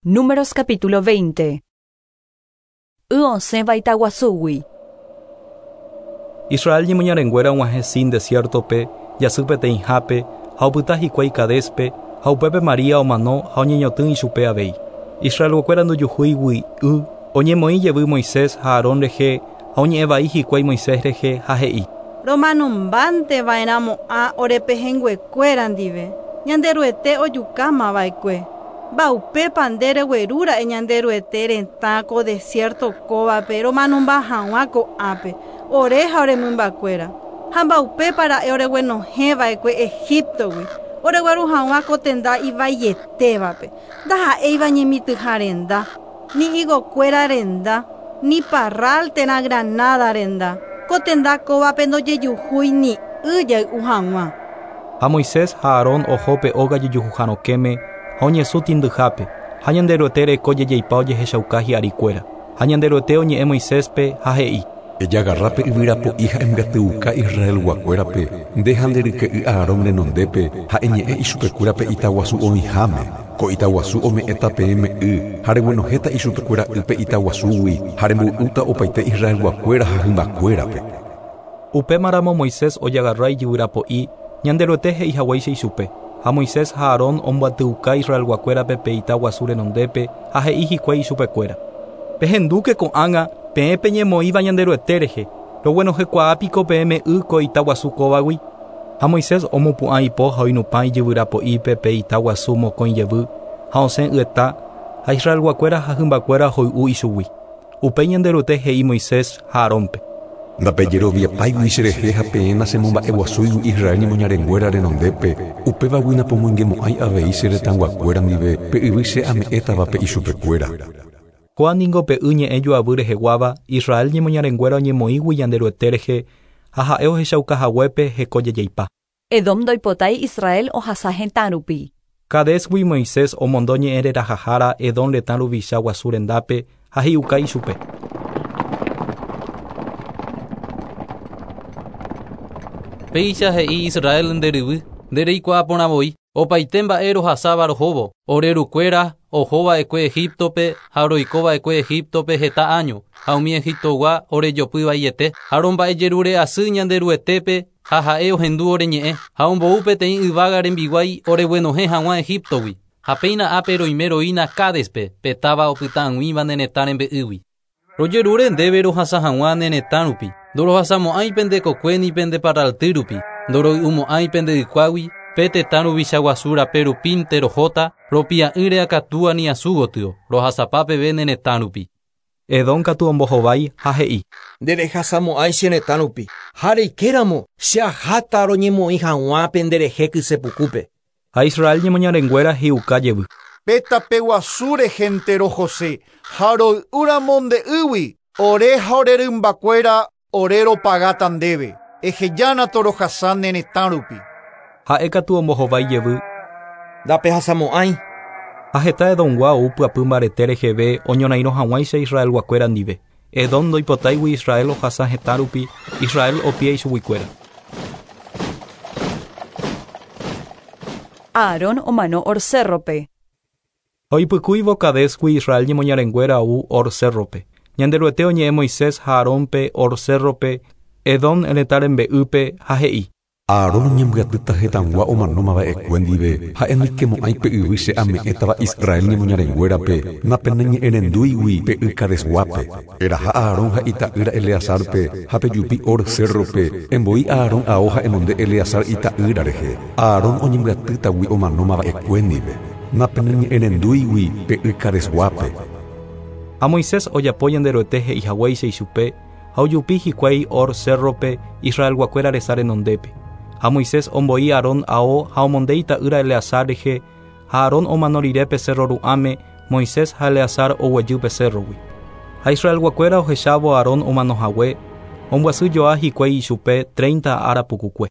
Números capítulo 20. Y osẽva itaguasúgui. Israel ñemoñarenguéra og̃uahẽ Sin desiértope, jasy peteĩhápe, ha opyta hikuái Cadéspe, ha upépe María omano ha oñeñotỹ ichupe avei. Israelguakuéra ndojuhúigui y, oñemoĩ jevy Moisés ha Aarón rehe ha oñe'ẽ vai hikuái Moisés rehe ha he'i. Romanombánte va'erãmo'ã ore pehẽnguekuéra ndive, Ñanderuete ojukámava'ekue. Mba'upépa nde reguerúra'e Ñanderuete retã ko desierto kóvape romanomba hag̃ua ko'ápe, ore ha ore mymbakuéra. Ha mba'upépa ra'e oreguenohẽva'ekue Egíptogui, oregueru hag̃ua ko tenda ivaietévape, ndaha'éiva ñemitỹha renda, ni higokuéra renda, ni parral térã granada renda. Ko tenda kóvape ndojejuhúi ni y jay'u hag̃ua. Ha Moisés ha Aarón oho pe óga jejuhuha rokẽme ha oñesũ tĩndyhápe, ha Ñanderuete reko jejeipa ojehechauka hi'arikuéra. Ha Ñanderuete oñe'ẽ Moiséspe ha he'i. Ejagarra pe yvyra po'i ha embyatyuka Israelguakuérape, nde ha nde ryke'y Aarón renondépe, ha eñe'ẽ ichupekuéra pe itaguasu oĩháme. Ko itaguasu ome'ẽta peẽme y, ha reguenohẽta ichupekuéra y pe itaguasúgui, ha remboy'úta opaite Israelguakuéra ha hymbakuérape. Upémaramo Moisés ojagarra ijyvyra po'i, Ñanderuete he'i haguéicha ichupe, ha Moisés ha Aarón ombyatyuka Israelguakuérape pe ita guasu renondépe ha he'i hikuái ichupekuéra, Pehendúke ko'ág̃a, peẽ peñemoĩva Ñanderuete rehe, roguenohẽkuaa piko peẽme y ko ita guasu kóvagui? Ha Moisés omopu'ã ipo ha oinupã ijyvyra po'ípe pe ita guasu mokõi jevy, ha osẽ yeta, ha Israelguakuéra ha hymbakuéra hoy'u ichugui. Upéi Ñanderuete he'i Moisés ha Aarónpe. Ndapejeroviapáigui cherehe ha peẽ nachemomba'eguasúigui Israel ñemoñarenguéra renondépe, upévagui napomoingemo'ãi avei che retãguakuéra ndive pe yvy che ame'ẽtavape ichupekuéra. Kóa ningo pe y ñe'ẽ joavy reheguáva, Israel ñemoñarenguéra oñemoĩgui Ñanderuete rehe ha ha'e ohechauka haguépe heko jajaipa. Edom ndoipotái Israel ohasa hetã rupi. Cadésgui Moisés omondo ñe'ẽ rerahahára Edom retã ruvicha guasu rendápe ha he'iuka ichupe. Péicha he'i Israel nde ryvy, nde reikuaa porã voi, opaite mba'e rohasáva rohóvo, ore rukuéra oho va'ekue Egíptope ha roiko va'ekue Egíptope heta áño, ha umi Egiptogua orejopy vaiete, ha romba'ejerure asy Ñanderuetépe ha ha'e ohendu ore ñe'ẽ, ha ombou peteĩ yvága rembiguái oreguenohẽ hag̃ua Egíptogui. Ha péina ápe roime roína Cádespe, pe táva opyta ag̃uíva ne retã rembe'ýgui. Rojerure ndéve rohasa hag̃ua ne retã rupi, ndorohasamo'ãi pende kokue ni pende parralty rupi, ndoroy'umo'ãi pende ykuágui, pe tetã ruvicha guasu rape rupínte rohóta, ropia'ỹre akatúa ni asu gotyo, rohasapa peve ne retã rupi. Edom katu ombohovái ha he'i. Nderehasamo'ãi che retã rupi, ha reikéramo che aháta roñemoĩ hag̃ua penderehe kysepukúpe. Ha Israel ñemoñarenguéra hi'uka jevy. Pe tape guasu rehénte rohose ha roy'úramo nde ýgui, ore ha ore rymbakuéra ore ropagáta ndéve. Ehejána torohasa ne retã rupi. Ha'e katu ombohovái jevy. Ndapehasamo'ãi. Ha heta Edomgua ou pyapy mbarete reheve oñorairõ hag̃uáicha Israelguakuéra ndive. Edom ndoipotáigui Israel ohasa hetã rupi, Israel opia ichuguikuéra. Aarón omano Hor cérrope. Ha oipykúivo Cadésgui Israel ñemoñarenguéra ou Hor cérrope. Ñanderuete oñe'ẽ Moisés ha Aarónpe Hor cérrope, Edom retã rembe'ýpe, ha he'i. Aarón oñembyatýta hetãgua omanóma va'ekue ndive, ha'e ndoikemo'ãi pe yvy che ame'ẽtava Israel ñemoñarenguérape, napeneñe'ẽrendúigui pe y Cadesguápe. Eraha Aarón ha ita'ýra Eleazárpe, ha pejupi Hor cérrope, emboi Aarón ao ha emonde Eleazar ita'ýra rehe, Aarón oñembyatýtagui omanóma va'ekue ndive, napeneñe'ẽrendúigui pe y Cadesguápe. Ha Moisés ojapo Ñanderuete he'i haguéicha ichupe, ha ojupi hikuái Hor cérrope, Israelguakuéra resa renondépe. Ha Moisés omboi Aarón ao ha omonde ita'ýra Eleazar rehe, ha Aarón omano rire pe cérro ru'ãme, Moisés ha Eleazar oguejy pe cérrogui. Ha Israelguakuéra ohechávo Aarón omano hague, ombyasy joa hikuái ichupe treinta ára pukukue.